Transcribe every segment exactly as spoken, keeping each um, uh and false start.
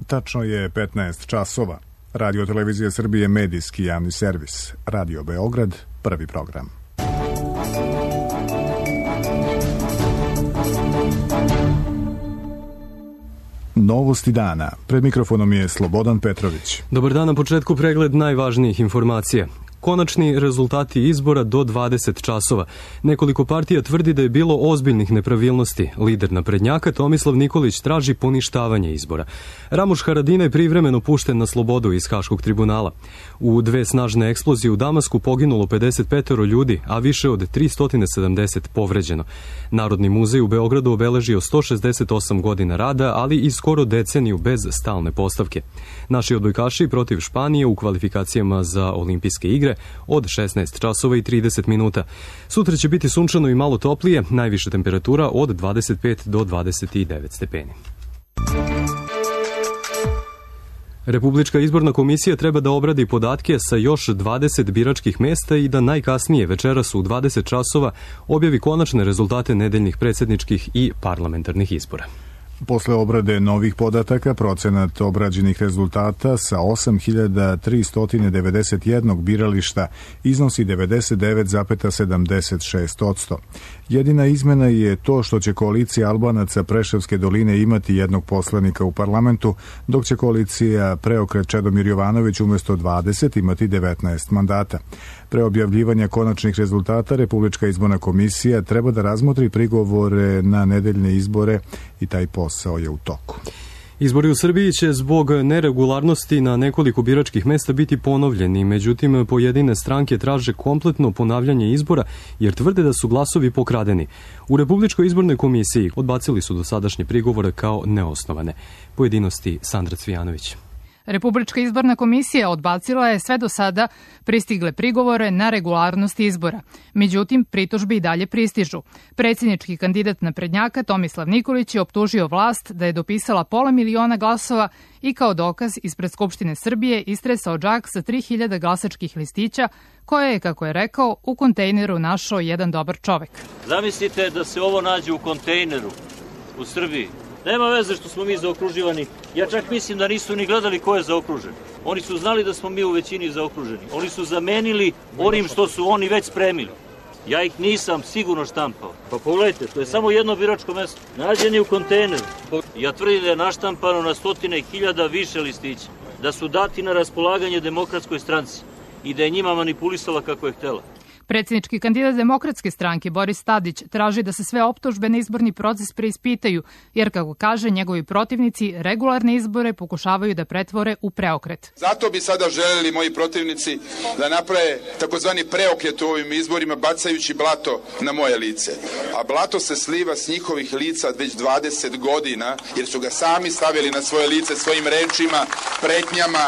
Tačno je petnaest časova. Radio Televizija Srbije, medijski javni servis. Radio Beograd, prvi program. Novosti dana. Pred mikrofonom je Slobodan Petrović. Dobar dan, na početku pregled najvažnijih informacija. Konačni rezultati izbora do dvadeset časova. Nekoliko partija tvrdi da je bilo ozbiljnih nepravilnosti. Lider naprednjaka Tomislav Nikolić traži poništavanje izbora. Ramuš Haradinaj privremeno pušten na slobodu iz Haškog tribunala. U dve snažne eksplozije u Damasku poginulo pedeset pet ljudi, a više od tristo sedamdeset povređeno. Narodni muzej u Beogradu obeležio sto šezdeset osam godina rada, ali i skoro deceniju bez stalne postavke. Naši odbojkaši protiv Španije u kvalifikacijama za olimpijske igre od šesnaest časova i trideset minuta. Sutra će biti sunčano i malo toplije, najviša temperatura od dvadeset pet do dvadeset devet stepeni. Republička izborna komisija treba da obradi podatke sa još dvadeset biračkih mesta i da najkasnije večeras u dvadeset časova objavi konačne rezultate nedeljnih predsjedničkih i parlamentarnih izbora. Posle obrade novih podataka, procenat obrađenih rezultata sa osam hiljada tristo devedeset jedan birališta iznosi devedeset devet zarez sedamdeset šest posto. Jedina izmena je to što će koalicija Albanaca Preševske doline imati jednog poslanika u parlamentu, dok će koalicija Preokret Čedomir Jovanović umesto dvadeset imati devetnaest mandata. Pre objavljivanja konačnih rezultata, Republička izborna komisija treba da razmotri prigovore na nedeljne izbore i taj posao je u toku. Izbori u Srbiji će zbog neregularnosti na nekoliko biračkih mesta biti ponovljeni, međutim pojedine stranke traže kompletno ponavljanje izbora jer tvrde da su glasovi pokradeni. U Republičkoj izbornoj komisiji odbacili su dosadašnje prigovore kao neosnovane. Pojedinosti Sandra Cvijanović. Republička izborna komisija odbacila je sve do sada pristigle prigovore na regularnost izbora. Međutim, pritužbe i dalje pristižu. Predsjednički kandidat naprednjaka Tomislav Nikolić je optužio vlast da je dopisala pola miliona glasova i kao dokaz ispred Skupštine Srbije istresao džak sa tri hiljade glasačkih listića koje je, kako je rekao, u kontejneru našao jedan dobar čovek. Zamislite da se ovo nađe u kontejneru u Srbiji. Nema veze što smo mi zaokruživani. Ja čak mislim da nisu ni gledali ko je zaokružen. Oni su znali da smo mi u većini zaokruženi. Oni su zamenili onim što su oni već spremili. Ja ih nisam sigurno štampao. Pa pogledajte, to je samo jedno biračko mesto. Nađen je u kontejneru. Ja tvrdim da je naštampano na stotine hiljada više listića. Da su dati na raspolaganje Demokratskoj stranci i da je njima manipulisala kako je htela. Predsjednički kandidat Demokratske stranke Boris Tadić traži da se sve optužbe na izborni proces preispitaju, jer, kako kaže, njegovi protivnici regularne izbore pokušavaju da pretvore u preokret. Zato bi sada želeli moji protivnici da naprave takozvani preokret u ovim izborima bacajući blato na moje lice. A blato se sliva s njihovih lica već dvadeset godina, jer su ga sami stavili na svoje lice svojim rečima, pretnjama,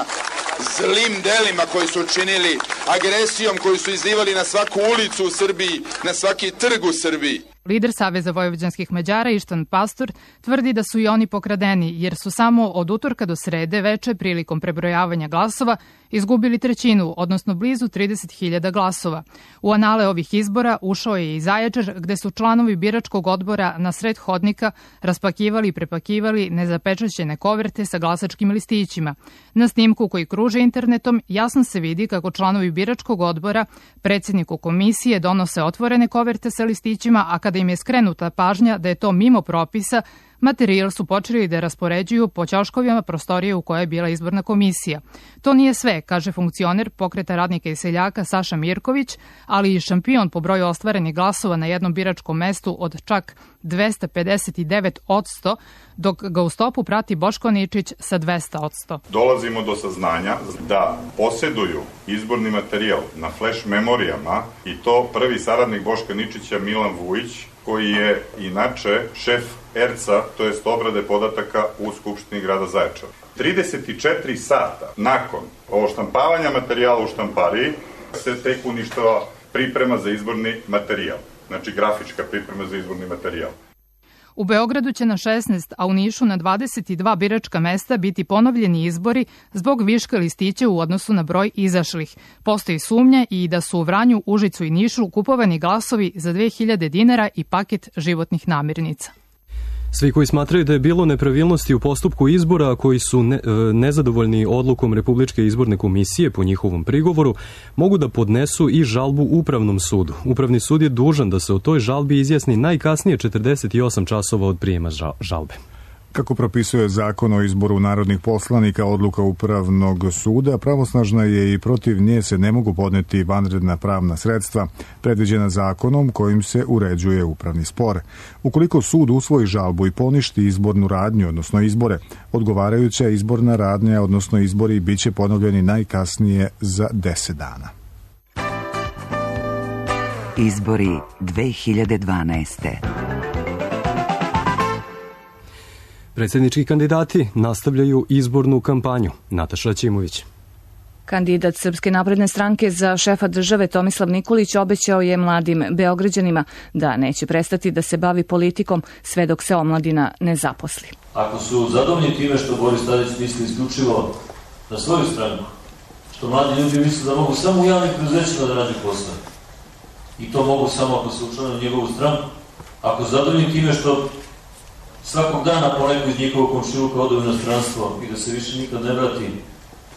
zlim delima koji su učinili, agresijom koju su izlivali na svaku ulicu u Srbiji, na svaki trg u Srbiji. Lider Saveza vojvođanskih Mađara Ištan Pastor tvrdi da su i oni pokradeni, jer su samo od utorka do srede veče prilikom prebrojavanja glasova izgubili trećinu, odnosno blizu trideset hiljada glasova. U anale ovih izbora ušao je i Zaječar, gde su članovi biračkog odbora na sred hodnika raspakivali i prepakivali nezapečaćene koverte sa glasačkim listićima. Na snimku koji kruže internetom jasno se vidi kako članovi biračkog odbora predsjedniku komisije donose otvorene koverte sa listićima, a kada im je skrenuta pažnja da je to mimo propisa, materijal su počeli da raspoređuju po ćoškovima prostorije u kojoj je bila izborna komisija. To nije sve, kaže funkcioner Pokreta radnika i seljaka Saša Mirković, ali i šampion po broju ostvarenih glasova na jednom biračkom mestu od čak dvesta pedeset devet posto, dok ga u stopu prati Boško Ničić sa dvesta posto. Dolazimo do saznanja da posjeduju izborni materijal na flash memorijama i to prvi saradnik Boška Ničića Milan Vujić, koji je inače šef erca, to jest obrade podataka u Skupštini grada Zaječara. trideset četiri sata nakon ovo štampavanja materijala u štampariji se tek uništava priprema za izborni materijal, znači grafička priprema za izborni materijal. U Beogradu će na šesnaest, a u Nišu na dvadeset dva biračka mesta biti ponovljeni izbori zbog viška listića u odnosu na broj izašlih. Postoji sumnja i da su u Vranju, Užicu i Nišu kupovani glasovi za dve hiljade dinara i paket životnih namirnica. Svi koji smatraju da je bilo nepravilnosti u postupku izbora, a koji su ne, nezadovoljni odlukom Republičke izborne komisije po njihovom prigovoru, mogu da podnesu i žalbu Upravnom sudu. Upravni sud je dužan da se o toj žalbi izjasni najkasnije četrdeset osam časova od prijema žalbe. Kako propisuje zakon o izboru narodnih poslanika, odluka Upravnog suda pravosnažna je i protiv nje se ne mogu podneti vanredna pravna sredstva predviđena zakonom kojim se uređuje upravni spor. Ukoliko sud usvoji žalbu i poništi izbornu radnju, odnosno izbore, odgovarajuća izborna radnja, odnosno izbori, biće ponovljeni najkasnije za deset dana. Izbori dve hiljade dvanaeste. Predsjednički kandidati nastavljaju izbornu kampanju. Nataša Ćimović. Kandidat Srpske napredne stranke za šefa države Tomislav Nikolić obećao je mladim Beograđanima da neće prestati da se bavi politikom sve dok se omladina ne zaposli. Ako su zadovoljni time što Boris Tadić misli isključivo na svoju stranku, što mladi ljudi misle da mogu samo u javnim preduzećima da nađu posao, i to mogu samo ako se učlane na njegovu stranku, ako su zadovoljni time što svakog dana po neku iz njihovog komšiluka odu u inostranstvo i da se više nikad ne vrati,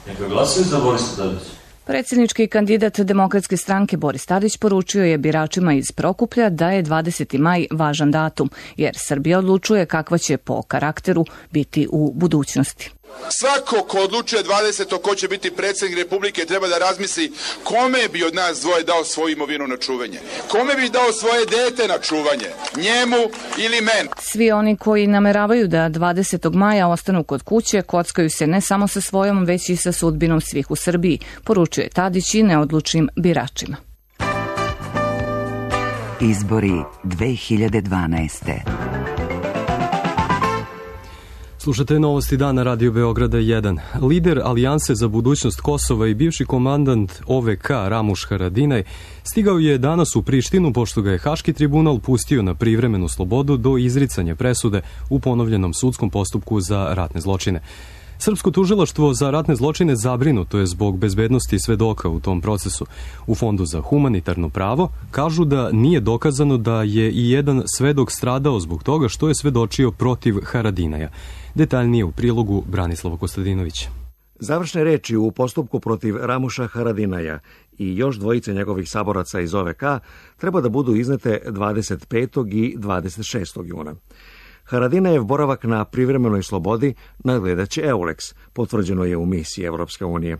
neka glasaju za Borisa Tadića. Predsjednički kandidat Demokratske stranke Boris Tadić poručio je biračima iz Prokuplja da je dvadeseti maj važan datum, jer Srbija odlučuje kakva će po karakteru biti u budućnosti. Svako ko odlučuje dvadesetog ko će biti predsjednik Republike treba da razmisli kome bi od nas dvoje dao svoju imovinu na čuvanje. Kome bi dao svoje dete na čuvanje? Njemu ili meni? Svi oni koji nameravaju da dvadesetog maja ostanu kod kuće kockaju se ne samo sa svojom, već i sa sudbinom svih u Srbiji, poručuje Tadić i neodlučnim biračima. Izbori dve hiljade dvanaeste. Slušate novosti dana Radio Beograda jedan. Lider Alijanse za budućnost Kosova i bivši komandant O V K Ramuš Haradinaj stigao je danas u Prištinu pošto ga je Haški tribunal pustio na privremenu slobodu do izricanja presude u ponovljenom sudskom postupku za ratne zločine. Srpsko tužilaštvo za ratne zločine zabrinuto je zbog bezbednosti svedoka u tom procesu. U Fondu za humanitarno pravo kažu da nije dokazano da je i jedan svedok stradao zbog toga što je svedočio protiv Haradinaja. Detaljnije u prilogu Branislava Kostadinovića. Završne reči u postupku protiv Ramuša Haradinaja i još dvojice njegovih saboraca iz O V K treba da budu iznete dvadeset petog i dvadeset šestog juna. Haradinajev boravak na privremenoj slobodi nadgledaće Eulex, potvrđeno je u misiji Evropske unije.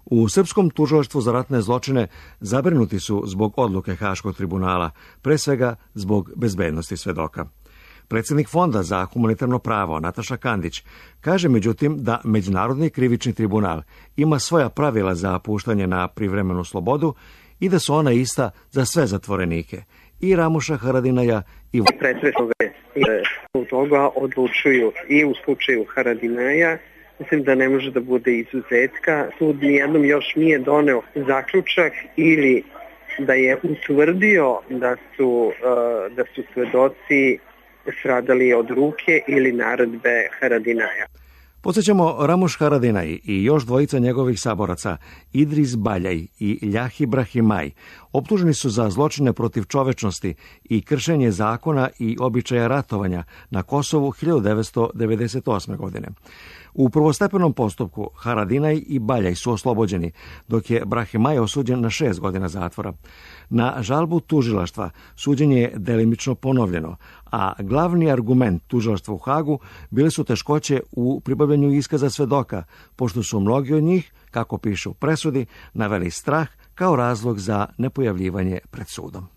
U Srpskom tužilaštvu za ratne zločine zabrinuti su zbog odluke Haškog tribunala, pre svega zbog bezbednosti svedoka. Predsjednik Fonda za humanitarno pravo Nataša Kandić kaže međutim da Međunarodni krivični tribunal ima svoja pravila za puštanje na privremenu slobodu i da su ona ista za sve zatvorenike, i Ramuša Haradinaja i predsjednog u toga odlučuju i u slučaju Haradinaja. Mislim da ne može da bude izuzetka. Sud nijednom još nije doneo zaključak ili da je utvrdio da su, da su svedoci stradali od ruke ili naredbe Haradinaja. Podsjećamo, Ramuš Haradinaj i još dvojica njegovih saboraca, Idris Baljaj i Ljahi Brahimaj, optuženi su za zločine protiv čovečnosti i kršenje zakona i običaja ratovanja na Kosovu hiljadu devetsto devedeset osme. godine. U prvostepenom postupku Haradinaj i Baljaj su oslobođeni, dok je Brahimaj osuđen na šest godina zatvora. Na žalbu tužilaštva suđenje je delimično ponovljeno, a glavni argument tužilaštva u Hagu bile su teškoće u pribavljanju iskaza svedoka, pošto su mnogi od njih, kako pišu u presudi, naveli strah kao razlog za nepojavljivanje pred sudom.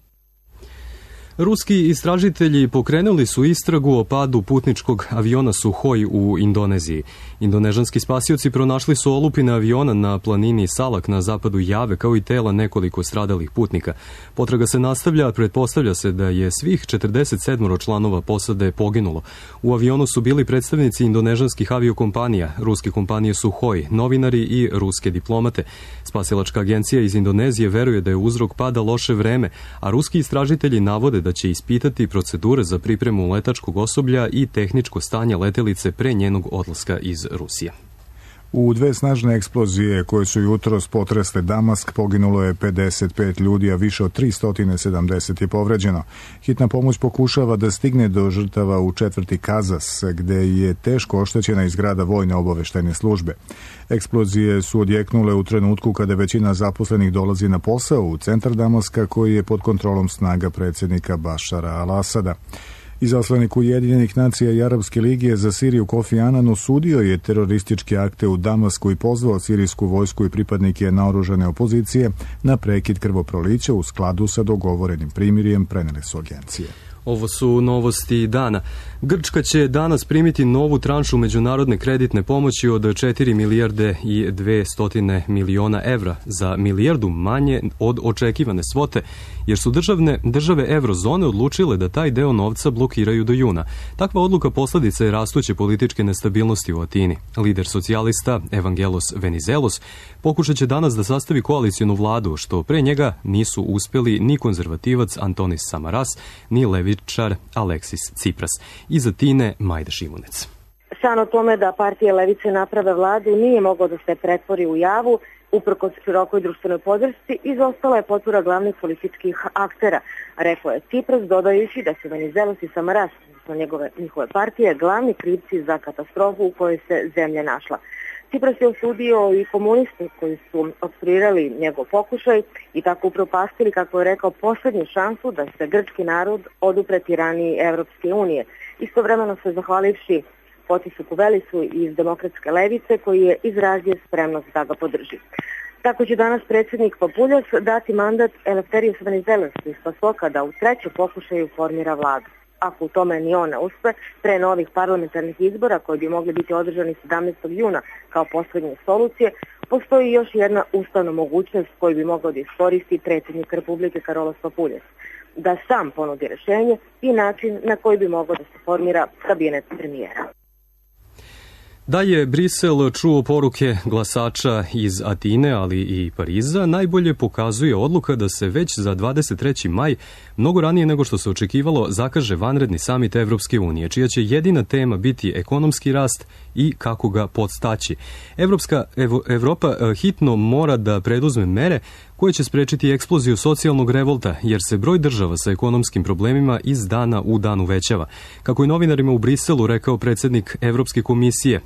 Ruski istražitelji pokrenuli su istragu o padu putničkog aviona Suhoj u Indoneziji. Indonežanski spasioci pronašli su olupine aviona na planini Salak na zapadu Jave, kao i tela nekoliko stradalih putnika. Potraga se nastavlja, a pretpostavlja se da je svih četrdeset sedam članova posade poginulo. U avionu su bili predstavnici indonežanskih aviokompanija, ruske kompanije Suhoj, novinari i ruske diplomate. Spasilačka agencija iz Indonezije veruje da je uzrok pada loše vreme, a ruski istražitelji navode da će ispitati procedure za pripremu letačkog osoblja i tehničko stanje letelice pre njenog odlaska iz Rusije. U dve snažne eksplozije koje su jutros potresle Damask poginulo je pedeset pet ljudi, a više od tristo sedamdeset je povređeno. Hitna pomoć pokušava da stigne do žrtava u četvrti Kazas, gde je teško oštećena i zgrada vojne obaveštajne službe. Eksplozije su odjeknule u trenutku kada većina zaposlenih dolazi na posao u centar Damaska, koji je pod kontrolom snaga predsjednika Bašara al-Asada. Izaslanik Ujedinjenih nacija i Arapske lige za Siriju Kofi Anan osudio je terorističke akte u Damasku i pozvao sirijsku vojsku i pripadnike naoružane opozicije na prekid krvoprolića u skladu sa dogovorenim primirjem, prenele su agencije. Ovo su novosti dana. Grčka će danas primiti novu tranšu međunarodne kreditne pomoći od četiri milijarde i dvesta miliona evra, za milijardu manje od očekivane svote, jer su državne, države eurozone odlučile da taj deo novca blokiraju do juna. Takva odluka posljedica je rastuće političke nestabilnosti u Atini. Lider socijalista Evangelos Venizelos pokušat će danas da sastavi koalicijonu vladu, što pre njega nisu uspeli ni konzervativac Antonis Samaras, ni levičar Aleksis Tsipras. Iz Atine Majda Šimunec. San o tome da partije levice naprave vladu nije moglo da se pretvori u javu, uprkos širokoj društvenoj podršci, izostala je potpora glavnih političkih aktera, rekao je Tsipras, dodajući da su Venizelos i Samaras, odnosno njegove, njihove partije, glavni krivci za katastrofu u kojoj se zemlja našla. Tsipras je osudio i komuniste koji su opstruirali njegov pokušaj i tako upropastili, kako je rekao, posljednju šansu da se grčki narod odupre tiraniji Evropske unije. Istovremeno se zahvalivši Fotisu Kuvelisu iz demokratske levice, koji je izrazio spremnost da ga podrži. Tako će danas predsjednik Papuljas dati mandat Eleftherios Venizelosu iz Pasoka da u trećem pokušaju formira vladu. Ako u tome ni on ne uspe, pre novih parlamentarnih izbora koji bi mogli biti održani sedamnaestog juna kao posljednje solucije, postoji još jedna ustavna mogućnost koju bi mogao da iskoristi predsjednik Republike Karolos Papuljas, da sam ponudi rješenje i način na koji bi mogao da se formira kabinet premijera. Da je Brisel čuo poruke glasača iz Atine, ali i Pariza, najbolje pokazuje odluka da se već za dvadeset treći maj, mnogo ranije nego što se očekivalo, zakaže vanredni samit Evropske unije, čija će jedina tema biti ekonomski rast i kako ga podstaći. Evropska Evo, Evropa hitno mora da preduzme mere koje će sprečiti eksploziju socijalnog revolta, jer se broj država sa ekonomskim problemima iz dana u dan uvećava. Kako je novinarima u Briselu rekao predsjednik Evropske komisije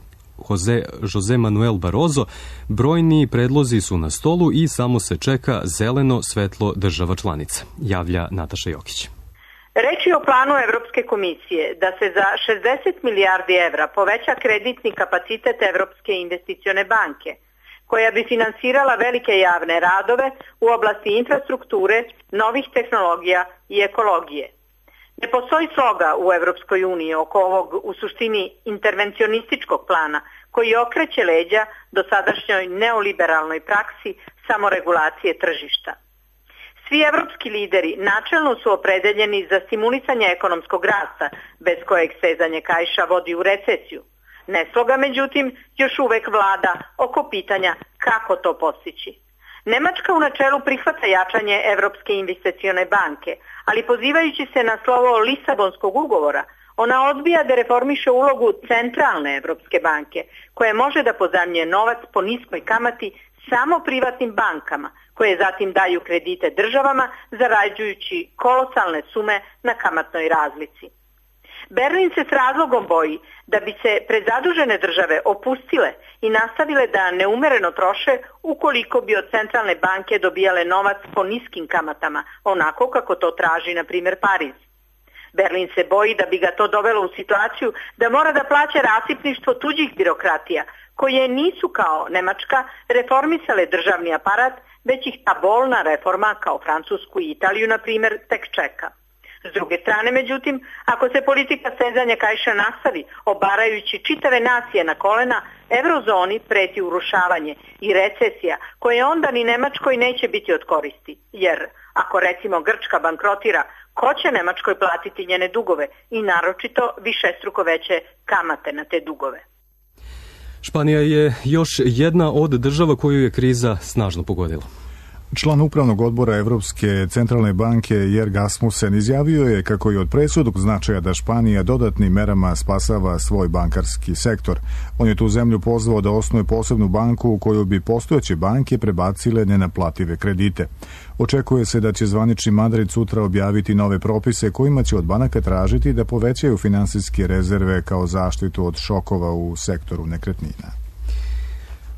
Jose, Jose Manuel Barroso, brojni predlozi su na stolu i samo se čeka zeleno svetlo država članica, javlja Nataša Jokić. Reč je o planu Evropske komisije da se za šezdeset milijardi evra poveća kreditni kapacitet Evropske investicione banke, koja bi finansirala velike javne radove u oblasti infrastrukture, novih tehnologija i ekologije. Ne postoji sloga u Evropskoj uniji oko ovog u suštini intervencionističkog plana koji okreće leđa dosadašnjoj neoliberalnoj praksi samoregulacije tržišta. Svi evropski lideri načelno su opredeljeni za stimulisanje ekonomskog rasta, bez kojeg stezanje kaiša vodi u recesiju. Nesloga, međutim, još uvek vlada oko pitanja kako to postići. Nemačka u načelu prihvata jačanje Evropske investicione banke, ali pozivajući se na slovo Lisabonskog ugovora, ona odbija da reformiše ulogu centralne Evropske banke, koja može da pozajmljuje novac po niskoj kamati samo privatnim bankama, koje zatim daju kredite državama, zarađujući kolosalne sume na kamatnoj razlici. Berlin se s razlogom boji da bi se prezadužene države opustile i nastavile da neumereno troše ukoliko bi od centralne banke dobijale novac po niskim kamatama, onako kako to traži, na primjer, Pariz. Berlin se boji da bi ga to dovelo u situaciju da mora da plaća rasipništvo tuđih birokratija, koje nisu kao Nemačka reformisale državni aparat, već ih ta bolna reforma kao Francusku i Italiju, na primjer, tek čeka. S druge strane, međutim, ako se politika stezanja kaiša nastavi, obarajući čitave nacije na kolena, eurozoni preti urušavanje i recesija, koje onda ni Nemačkoj neće biti od koristi. Jer, ako recimo Grčka bankrotira, ko će Nemačkoj platiti njene dugove i naročito višestruko veće kamate na te dugove? Španija je još jedna od država koju je kriza snažno pogodila. Član upravnog odbora Evropske centralne banke Jer Asmussen izjavio je kako je od presudnog značaja da Španija dodatnim merama spasava svoj bankarski sektor. On je tu zemlju pozvao da osnuje posebnu banku u koju bi postojeće banke prebacile nenaplative kredite. Očekuje se da će zvanični Madrid sutra objaviti nove propise kojima će od banaka tražiti da povećaju finansijske rezerve kao zaštitu od šokova u sektoru nekretnina.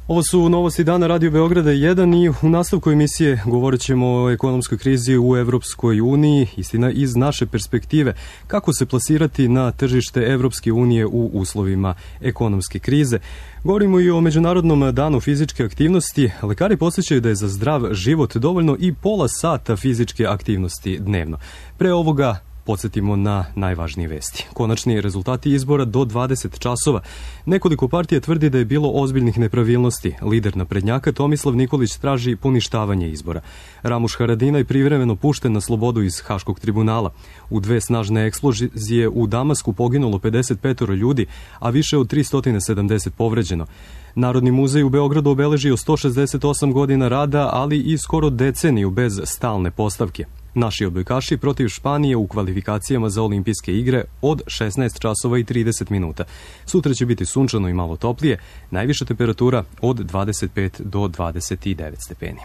Ovo su novosti dana Radio Beograda jedan i u nastavku emisije govorit ćemo o ekonomskoj krizi u Evropskoj uniji, istina iz naše perspektive, kako se plasirati na tržište Evropske unije u uslovima ekonomske krize. Govorimo i o Međunarodnom danu fizičke aktivnosti. Lekari podsjećaju da je za zdrav život dovoljno i pola sata fizičke aktivnosti dnevno. Pre ovoga podsjetimo na najvažnije vesti. Konačni rezultati izbora do dvadeset časova. Nekoliko partija tvrdi da je bilo ozbiljnih nepravilnosti. Lider naprednjaka Tomislav Nikolić traži poništavanje izbora. Ramuš Haradinaj privremeno pušten na slobodu iz Haškog tribunala. U dve snažne eksplozije u Damasku poginulo pedeset pet ljudi, a više od tristo sedamdeset povređeno. Narodni muzej u Beogradu obeležio sto šezdeset osam godina rada, ali i skoro deceniju bez stalne postavke. Naši odbojkaši protiv Španije u kvalifikacijama za olimpijske igre od šesnaest časova i trideset minuta. Sutra će biti sunčano i malo toplije, najviša temperatura od dvadeset pet do dvadeset devet stepeni.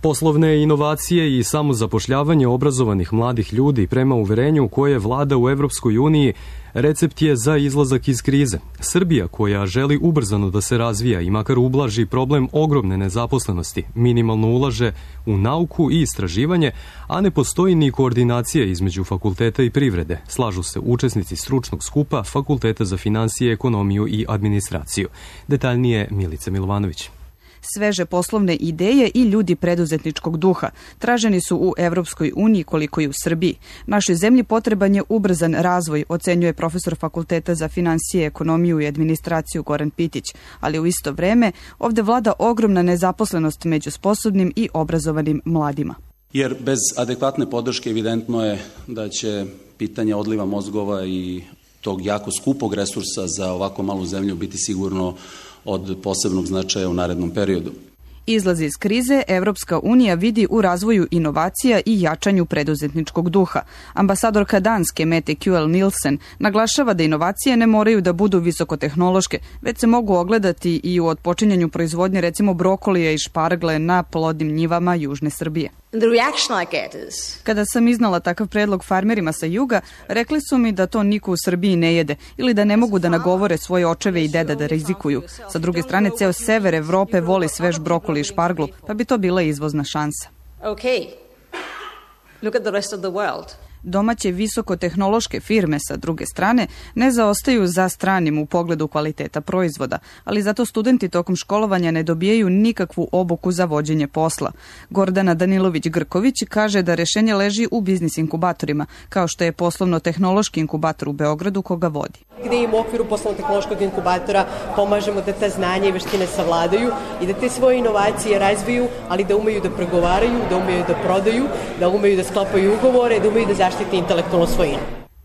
Poslovne inovacije i samozapošljavanje obrazovanih mladih ljudi prema uverenju koje vlada u Evropskoj uniji recept je za izlazak iz krize. Srbija, koja želi ubrzano da se razvija i makar ublaži problem ogromne nezaposlenosti, minimalno ulaže u nauku i istraživanje, a ne postoji ni koordinacija između fakulteta i privrede. Slažu se učesnici stručnog skupa Fakulteta za finansije, ekonomiju i administraciju. Detaljnije Milica Milovanović. Sveže poslovne ideje i ljudi preduzetničkog duha traženi su u Evropskoj uniji koliko i u Srbiji. Našoj zemlji potreban je ubrzan razvoj, ocenjuje profesor Fakulteta za finansije, ekonomiju i administraciju Goran Pitić, ali u isto vreme ovde vlada ogromna nezaposlenost među sposobnim i obrazovanim mladima. Jer bez adekvatne podrške evidentno je da će pitanje odliva mozgova i tog jako skupog resursa za ovako malu zemlju biti sigurno od posebnog značaja u narednom periodu. Izlaz iz krize Evropska unija vidi u razvoju inovacija i jačanju preduzetničkog duha. Ambasadorka Danske Mette Kjuel Nielsen naglašava da inovacije ne moraju da budu visokotehnološke, već se mogu ogledati i u otpočinjanju proizvodnje recimo brokolija i špargle na plodnim njivama južne Srbije. Kada sam iznala takav predlog farmerima sa juga, rekli su mi da to niko u Srbiji ne jede ili da ne mogu da nagovore svoje očeve i deda da rizikuju. Sa druge strane, ceo sever Evrope voli svež brokoli i šparglu, pa bi to bila izvozna šansa. Okay. Look at the rest of the world. Domaće visokotehnološke firme, sa druge strane, ne zaostaju za stranim u pogledu kvaliteta proizvoda, ali zato studenti tokom školovanja ne dobijaju nikakvu obuku za vođenje posla. Gordana Danilović-Grković kaže da rešenje leži u biznis inkubatorima, kao što je poslovno-tehnološki inkubator u Beogradu koga vodi. Gde im u okviru poslovno-tehnološkog inkubatora pomažemo da ta znanja i veštine savladaju i da te svoje inovacije razviju, ali da umeju da pregovaraju, da umeju da prodaju, da umeju da sklapaju ugovore, da umeju da zaštiti intelektualnu svojinu.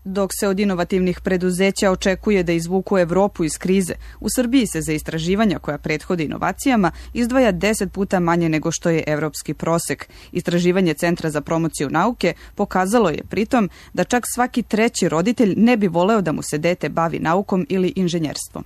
Dok se od inovativnih preduzeća očekuje da izvuku Evropu iz krize, u Srbiji se za istraživanja koja prethode inovacijama izdvaja deset puta manje nego što je evropski prosek. Istraživanje Centra za promociju nauke pokazalo je pritom da čak svaki treći roditelj ne bi voleo da mu se dete bavi naukom ili inženjerstvom.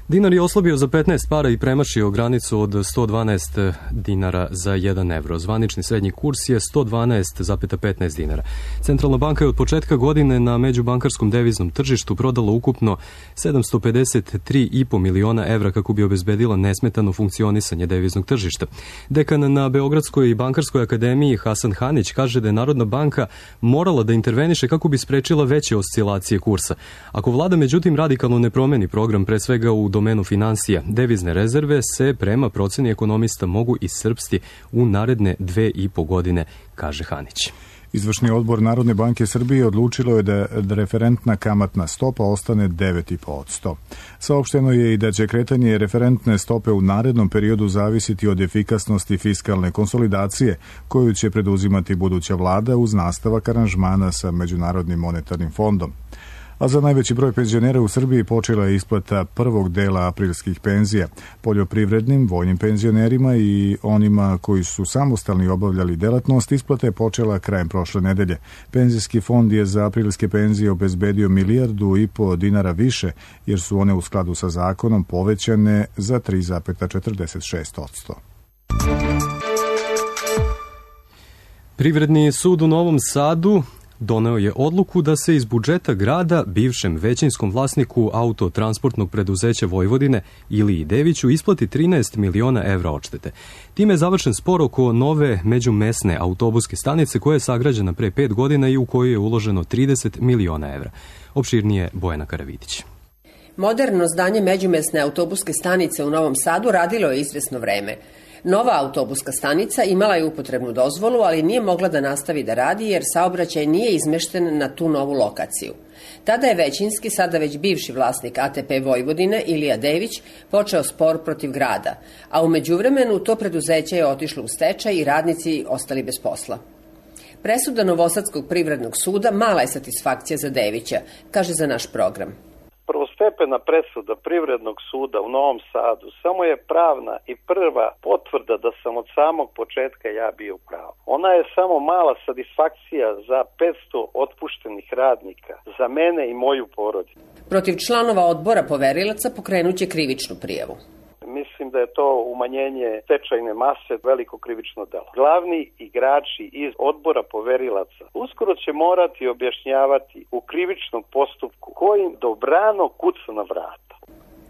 Dinar je oslabio za petnaest para i premašio granicu od sto dvanaest dinara za jedan evro. Zvanični srednji kurs je sto dvanaest zarez petnaest dinara. Centralna banka je od početka godine na međubankarskom deviznom tržištu prodala ukupno sedamsto pedeset tri i po miliona evra kako bi obezbedila nesmetano funkcionisanje deviznog tržišta. Dekan na Beogradskoj bankarskoj akademiji Hasan Hanić kaže da je Narodna banka morala da interveniše kako bi sprečila veće oscilacije kursa. Ako vlada međutim radikalno ne promeni program, pre svega u domenu finansija, devizne rezerve se prema proceni ekonomista mogu iscrpsti u naredne dve i po godine, kaže Hanić. Izvršni odbor Narodne banke Srbije odlučilo je da referentna kamatna stopa ostane devet zarez pet posto. Saopšteno je i da će kretanje referentne stope u narednom periodu zavisiti od efikasnosti fiskalne konsolidacije koju će preduzimati buduća vlada uz nastavak aranžmana sa Međunarodnim monetarnim fondom. A za najveći broj penzionera u Srbiji počela je isplata prvog dela aprilskih penzija. Poljoprivrednim, vojnim penzionerima i onima koji su samostalni obavljali delatnost isplata je počela krajem prošle nedelje. Penzijski fond je za aprilske penzije obezbedio milijardu i po dinara više, jer su one u skladu sa zakonom povećane za tri zarez četrdeset šest posto. Privredni sud u Novom Sadu doneo je odluku da se iz budžeta grada bivšem većinskom vlasniku autotransportnog preduzeća Vojvodine Iliji Deviću isplati trinaest miliona evra odštete. Time je završen spor oko nove međumesne autobuske stanice koja je sagrađena pre pet godina i u koju je uloženo trideset miliona evra. Opširnije Bojana Karavidić. Moderno zdanje međumesne autobuske stanice u Novom Sadu radilo je izvesno vreme. Nova autobuska stanica imala je upotrebnu dozvolu, ali nije mogla da nastavi da radi jer saobraćaj nije izmešten na tu novu lokaciju. Tada je većinski, sada već bivši vlasnik A T P Vojvodine, Ilija Dević, počeo spor protiv grada, a u međuvremenu to preduzeće je otišlo u stečaj i radnici ostali bez posla. Presuda Novosadskog privrednog suda mala je satisfakcija za Devića, kaže za naš program. Prvostepena presuda Privrednog suda u Novom Sadu samo je pravna i prva potvrda da sam od samog početka ja bio u pravu. Ona je samo mala satisfakcija za petsto otpuštenih radnika, za mene i moju porodicu. Protiv članova odbora poverilaca pokrenuće krivičnu prijavu. Mislim da je to umanjenje stečajne mase veliko krivično delo. Glavni igrači iz odbora poverilaca uskoro će morati objašnjavati u krivičnom postupku kojim dobrano kuca na vrata.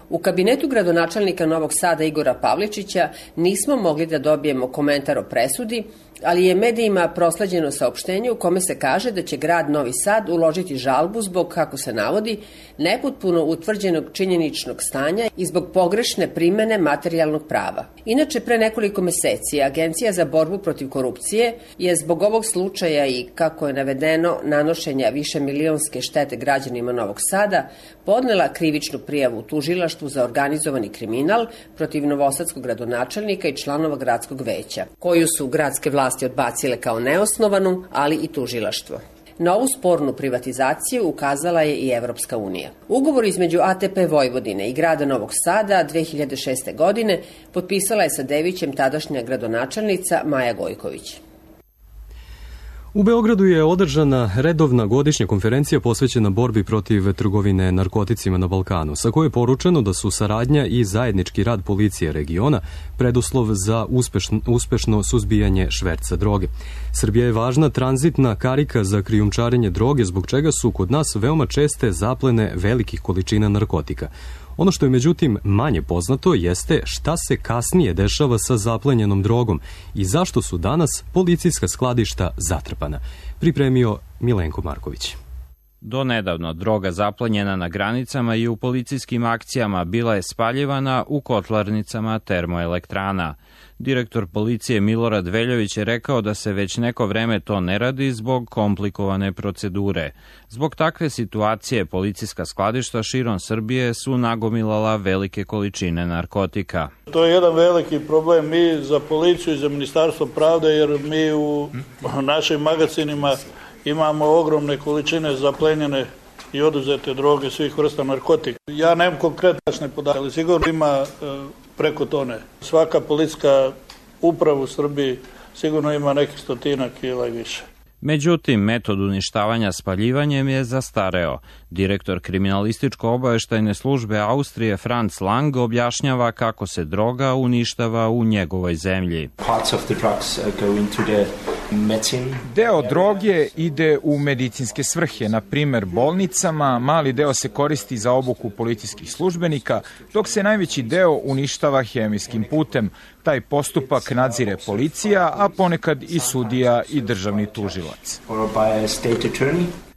U kabinetu gradonačelnika Novog Sada Igora Pavličića nismo mogli da dobijemo komentar o presudi, ali je medijima prosleđeno saopštenje u kome se kaže da će grad Novi Sad uložiti žalbu zbog, kako se navodi, nepotpuno utvrđenog činjeničnog stanja i zbog pogrešne primene materijalnog prava. Inače, pre nekoliko meseci Agencija za borbu protiv korupcije je zbog ovog slučaja i, kako je navedeno, nanošenja više milionske štete građanima Novog Sada podnela krivičnu prijavu u tužilaštvu za organizovani kriminal protiv novosadskog gradonačelnika i članova gradskog veća, koju su gradske vlasti odbacile kao neosnovanu, ali i tužilaštvo. Na ovu spornu privatizaciju ukazala je i Evropska unija. Ugovor između A T P Vojvodine i grada Novog Sada dve hiljade šeste. godine potpisala je sa Devićem tadašnja gradonačelnica Maja Gojković. U Beogradu je održana redovna godišnja konferencija posvećena borbi protiv trgovine narkoticima na Balkanu, sa kojoj je poručeno da su saradnja i zajednički rad policije regiona preduslov za uspešno, uspešno suzbijanje šverca droge. Srbija je važna tranzitna karika za krijumčarenje droge, zbog čega su kod nas veoma česte zaplene velikih količina narkotika. Ono što je međutim manje poznato jeste šta se kasnije dešava sa zaplenjenom drogom i zašto su danas policijska skladišta zatrpana. Pripremio Milenko Marković. Do nedavno droga zaplenjena na granicama i u policijskim akcijama bila je spaljivana u kotlarnicama termoelektrana. Direktor policije Milorad Veljović je rekao da se već neko vreme to ne radi zbog komplikovane procedure. Zbog takve situacije policijska skladišta širom Srbije su nagomilala velike količine narkotika. To je jedan veliki problem mi za policiju i za Ministarstvo pravde, jer mi u našim magacinima imamo ogromne količine zaplenjene i oduzete droge svih vrsta narkotika. Ja nemam konkretne podatke, ali sigurno ima preko tone. Svaka policijska uprava u Srbiji sigurno ima nekih stotina kila i više. Međutim, metod uništavanja spaljivanjem je zastareo. Direktor kriminalističko-obaveštajne službe Austrije Franz Lang objašnjava kako se droga uništava u njegovoj zemlji. Deo droge ide u medicinske svrhe, na primer bolnicama, mali deo se koristi za obuku policijskih službenika, dok se najveći deo uništava hemijskim putem. Taj postupak nadzire policija, a ponekad i sudija i državni tužilac.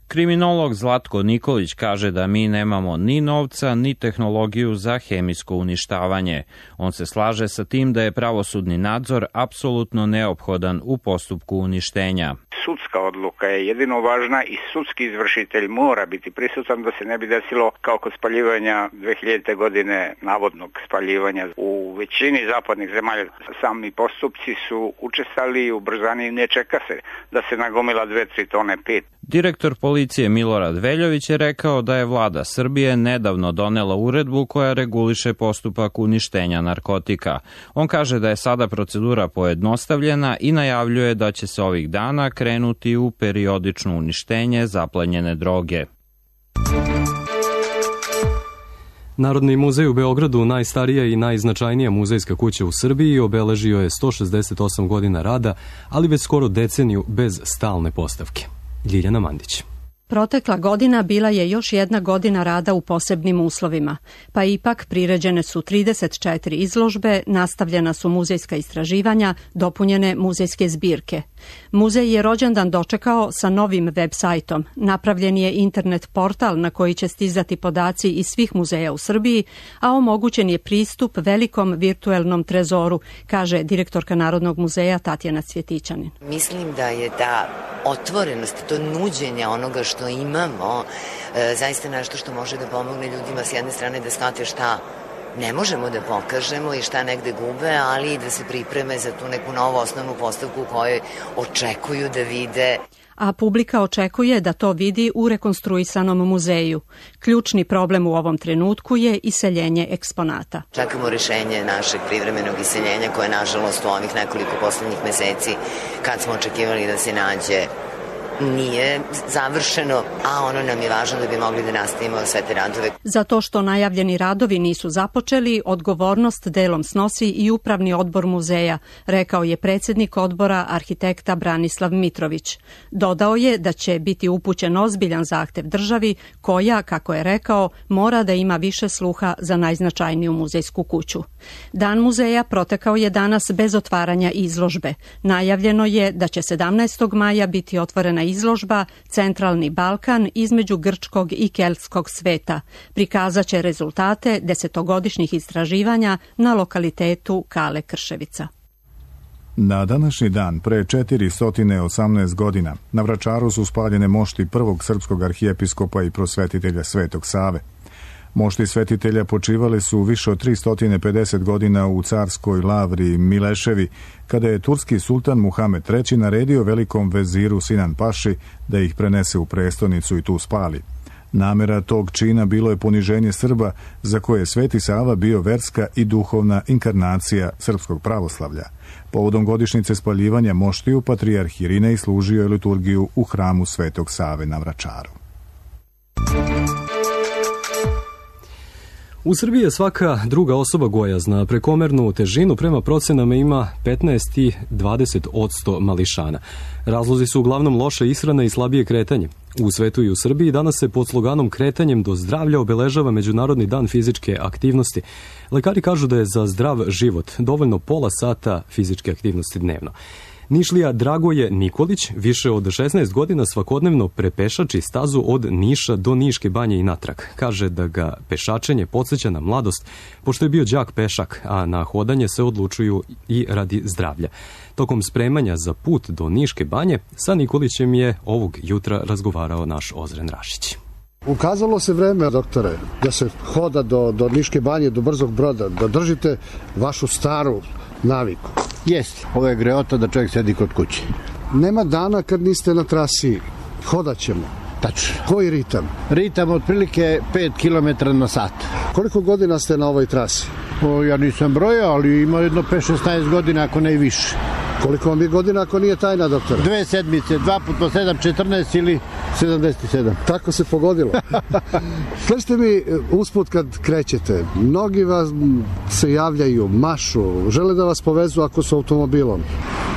Kriminolog Zlatko Nikolić kaže da mi nemamo ni novca, ni tehnologiju za hemijsko uništavanje. On se slaže sa tim da je pravosudni nadzor apsolutno neophodan u postupku uništenja. Sudska odluka je jedino važna i sudski izvršitelj mora biti prisutan da se ne bi desilo kao kod spaljivanja dve hiljadite. godine navodnog spaljivanja. U većini zapadnih zemalja sami postupci su učestali i ubrzani, ne čeka se da se nagomila dve tri tone pet. Direktor policije Milorad Veljović je rekao da je vlada Srbije nedavno donela uredbu koja reguliše postupak uništenja narkotika. On kaže da je sada procedura pojednostavljena i najavljuje da će se ovih dana krenuti u periodično uništenje zaplenjene droge. Narodni muzej u Beogradu, najstarija i najznačajnija muzejska kuća u Srbiji, obeležio je sto šezdeset osam godina rada, ali već skoro deceniju bez stalne postavke. Ljiljana Mandić. Protekla godina bila je još jedna godina rada u posebnim uslovima, pa ipak priređene su trideset četiri izložbe, nastavljena su muzejska istraživanja, dopunjene muzejske zbirke. Muzej je rođendan dočekao sa novim web sajtom. Napravljen je internet portal na koji će stizati podaci iz svih muzeja u Srbiji, a omogućen je pristup velikom virtuelnom trezoru, kaže direktorka Narodnog muzeja Tatjana Cvjetićanin. Mislim da je ta otvorenost, to nuđenje onoga što imamo, e, zaista nešto što može da pomogne ljudima s jedne strane da shvate šta ne možemo da pokažemo i šta negde gube, ali i da se pripreme za tu neku novu osnovnu postavku u kojoj očekuju da vide. A publika očekuje da to vidi u rekonstruisanom muzeju. Ključni problem u ovom trenutku je iseljenje eksponata. Čekamo rešenje našeg privremenog iseljenja koje, nažalost, u ovih nekoliko poslednjih meseci, kad smo očekivali da se nađe, nije završeno, a ono nam je važno da bi mogli da nastavimo sve te radove. Za to što najavljeni radovi nisu započeli, odgovornost delom snosi i upravni odbor muzeja, rekao je predsjednik odbora arhitekta Branislav Mitrović. Dodao je da će biti upućen ozbiljan zahtev državi koja, kako je rekao, mora da ima više sluha za najznačajniju muzejsku kuću. Dan muzeja protekao je danas bez otvaranja izložbe. Najavljeno je da će sedamnaestog maja biti otvorena izložba Centralni Balkan između grčkog i keltskog sveta. Prikazat će rezultate desetogodišnjih istraživanja na lokalitetu Kale Krševica. Na današnji dan, pre četiristo osamnaest godina, na Vračaru su spaljene mošti prvog srpskog arhijepiskopa i prosvetitelja Svetog Save. Mošti svetitelja počivali su više od tristo pedeset godina u carskoj lavri Mileševi, kada je turski sultan Muhamed treći naredio velikom veziru Sinan Paši da ih prenese u prestonicu i tu spali. Namera tog čina bilo je poniženje Srba, za koje je Sveti Sava bio verska i duhovna inkarnacija srpskog pravoslavlja. Povodom godišnjice spaljivanja moštiju, patrijarh Irinej služio je liturgiju u hramu Svetog Save na Vračaru. U Srbiji je svaka druga osoba gojazna. Prekomernu težinu prema procenama ima petnaest i dvadeset odsto mališana. Razlozi su uglavnom loša ishrana i slabije kretanje. U svetu i u Srbiji danas se pod sloganom Kretanjem do zdravlja obeležava Međunarodni dan fizičke aktivnosti. Lekari kažu da je za zdrav život dovoljno pola sata fizičke aktivnosti dnevno. Nišlija Dragoje Nikolić više od šesnaest godina svakodnevno prepešači stazu od Niša do Niške banje i natrag. Kaže da ga pešačenje podsjeća na mladost, pošto je bio đak pešak, a na hodanje se odlučuju i radi zdravlja. Tokom spremanja za put do Niške banje, sa Nikolićem je ovog jutra razgovarao naš Ozren Rašić. Ukazalo se vreme, doktore, da se hoda do, do Niške banje, do Brzog Broda, da držite vašu staru naviku. Jeste, ovo je greota da čovjek sedi kod kuće. Nema dana kad niste na trasi, hodat ćemo. Tačno. Koji ritam? Ritam otprilike pet kilometara na sat. Koliko godina ste na ovoj trasi? O, ja nisam brojao, ali ima jedno pet šesnaest godina, ako ne i više. Koliko vam je godina ako nije tajna, doktore? Dve sedmice, dva put po sedam, četrnaest ili sedamdeset sedam. Tako se pogodilo. Kažete mi, usput kad krećete, mnogi vas se javljaju, mašu, žele da vas povezu ako su automobilom.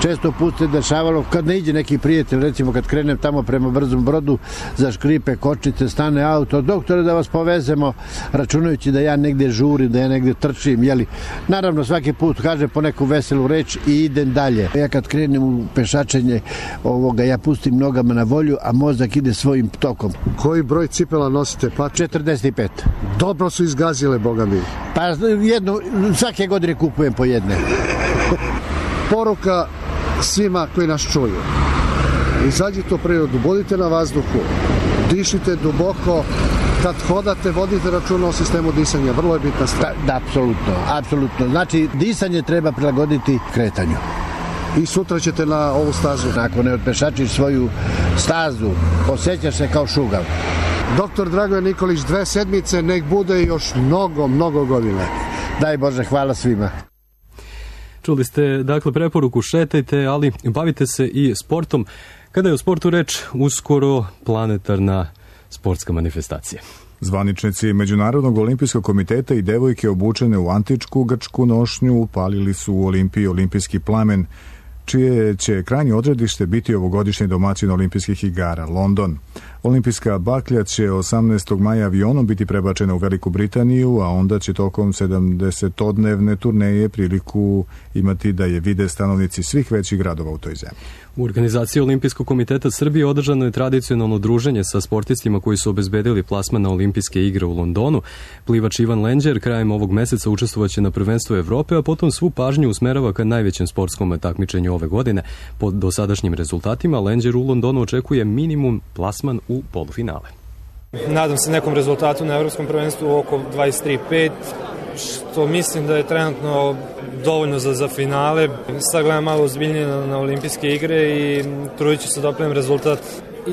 Često put se dešavalo, kad ne iđe neki prijatelj, recimo kad krenem tamo prema Brzom Brodu, za škripe, kočice, stane auto, doktore da vas povezemo, računajući da ja negde žurim, da ja negde trčim, jeli. Naravno, svaki put kažem po neku veselu reč i idem dalje. Ja kad krenem u pešačenje ovoga, ja pustim nogama na volju, a mozak ide svojim tokom. Koji broj cipela nosite? Pa četrdeset pet. Dobro su izgazile, boga mi. Pa jedno, svake godine kupujem po jedne. Poruka svima koji nas čuju. Izađite u prirodu, budite na vazduhu, dišite duboko, kad hodate, vodite računa o sistemu disanja, vrlo je bitna stvar. Da, da, apsolutno, apsolutno. Znači, disanje treba prilagoditi kretanju. i sutra ćete na ovu stazu. Ako ne otpešačiš svoju stazu, osjećaš se kao šugav. Doktor Dragoje Nikolić, dve sedmice, nek bude još mnogo, mnogo godina. Daj Bože, hvala svima. Čuli ste, dakle, preporuku šetajte, ali bavite se i sportom. Kada je o sportu reč, uskoro planetarna sportska manifestacija. Zvaničnici Međunarodnog olimpijskog komiteta i devojke obučene u antičku grčku nošnju upalili su u Olimpiji olimpijski plamen, čije će krajnje odredište biti ovogodišnji domaćin olimpijskih igara, London. Olimpijska baklja će osamnaestog maja avionom biti prebačena u Veliku Britaniju, a onda će tokom sedamdesetodnevne turneje priliku imati da je vide stanovnici svih većih gradova u toj zemlji. U organizaciji Olimpijskog komiteta Srbije održano je tradicionalno druženje sa sportistima koji su obezbedili plasman na Olimpijske igre u Londonu. Plivač Ivan Lenđer krajem ovog meseca učestvovaće na prvenstvu Evrope, a potom svu pažnju usmerava ka najvećem sportskom takmičenju ove godine. Po dosadašnjim rezultatima Lenđer u Londonu očekuje minimum plasman u polufinale. Nadam se nekom rezultatu na evropskom prvenstvu oko dvadeset tri pet, što mislim da je trenutno dovoljno za, za finale. Sad gledam malo ozbiljnije na, na olimpijske igre i trudit ću se da opravim rezultat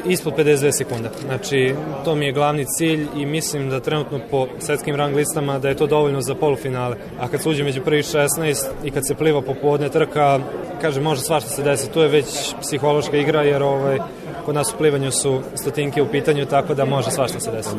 ispod pedeset dve sekunde. Znači, to mi je glavni cilj i mislim da trenutno po svetskim rang listama da je to dovoljno za polufinale. A kad se uđe među prvih šesnaest i kad se pliva popodne trka, kaže, može svašta se desi. To je već psihološka igra jer ovaj, kod nas u plivanju su stotinke u pitanju, tako da može svašta se desi.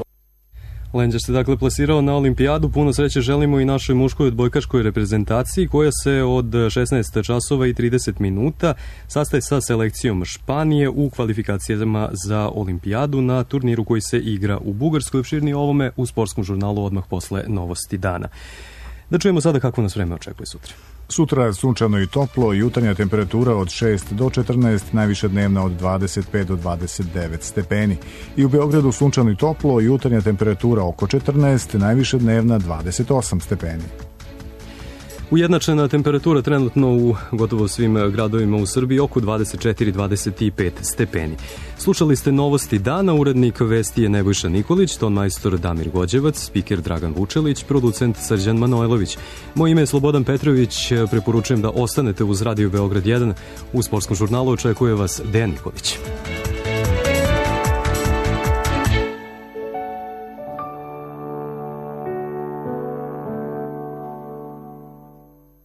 Lenđer se dakle plasirao na olimpijadu. Puno sreće želimo i našoj muškoj odbojkaškoj reprezentaciji koja se od šesnaest časova i trideset minuta sastaje sa selekcijom Španije u kvalifikacijama za olimpijadu na turniru koji se igra u Bugarskoj. Opširnije ovome u sportskom žurnalu odmah posle novosti dana. Da čujemo sada kako nas vreme očekuje sutra. Sutra sunčano i toplo, jutarnja temperatura od šest do četrnaest, najviša dnevna od dvadeset pet do dvadeset devet stepeni. I u Beogradu sunčano i toplo, jutarnja temperatura oko četrnaest, najviša dnevna dvadeset osam stepeni. Ujednačena temperatura trenutno u gotovo svim gradovima u Srbiji oko dvadeset četiri do dvadeset pet stepeni. Slušali ste novosti dana, urednik vesti je Nebojša Nikolić, ton majstor Damir Gođevac, spiker Dragan Vučelić, producent Srđan Manojlović. Moje ime je Slobodan Petrović, preporučujem da ostanete uz Radio Beograd jedan. U sportskom žurnalu očekuje vas Dejan Nikolić.